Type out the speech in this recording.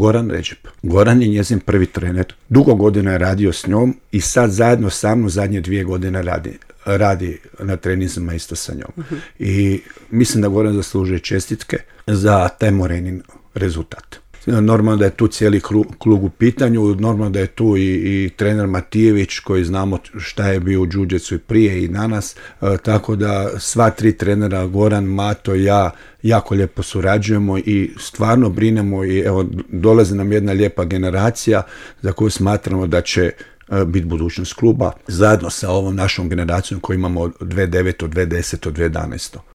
Goran Redžep. Goran je njezin prvi trener. Dugo godina je radio s njom i sad zajedno sa mnom zadnje 2 godine radi na treninzima isto sa njom. I mislim da Goran zaslužuje čestitke za taj Morenin rezultat. Normalno da je tu cijeli klub u pitanju, normalno da je tu i trener Matijević koji znamo šta je bio u džudžetsu i prije i danas, tako da sva 3 trenera, Goran, Mato i ja, jako lijepo surađujemo i stvarno brinemo i evo dolazi nam jedna lijepa generacija za koju smatramo da će biti budućnost kluba zajedno sa ovom našom generacijom koju imamo od 2009, 2010, 2011.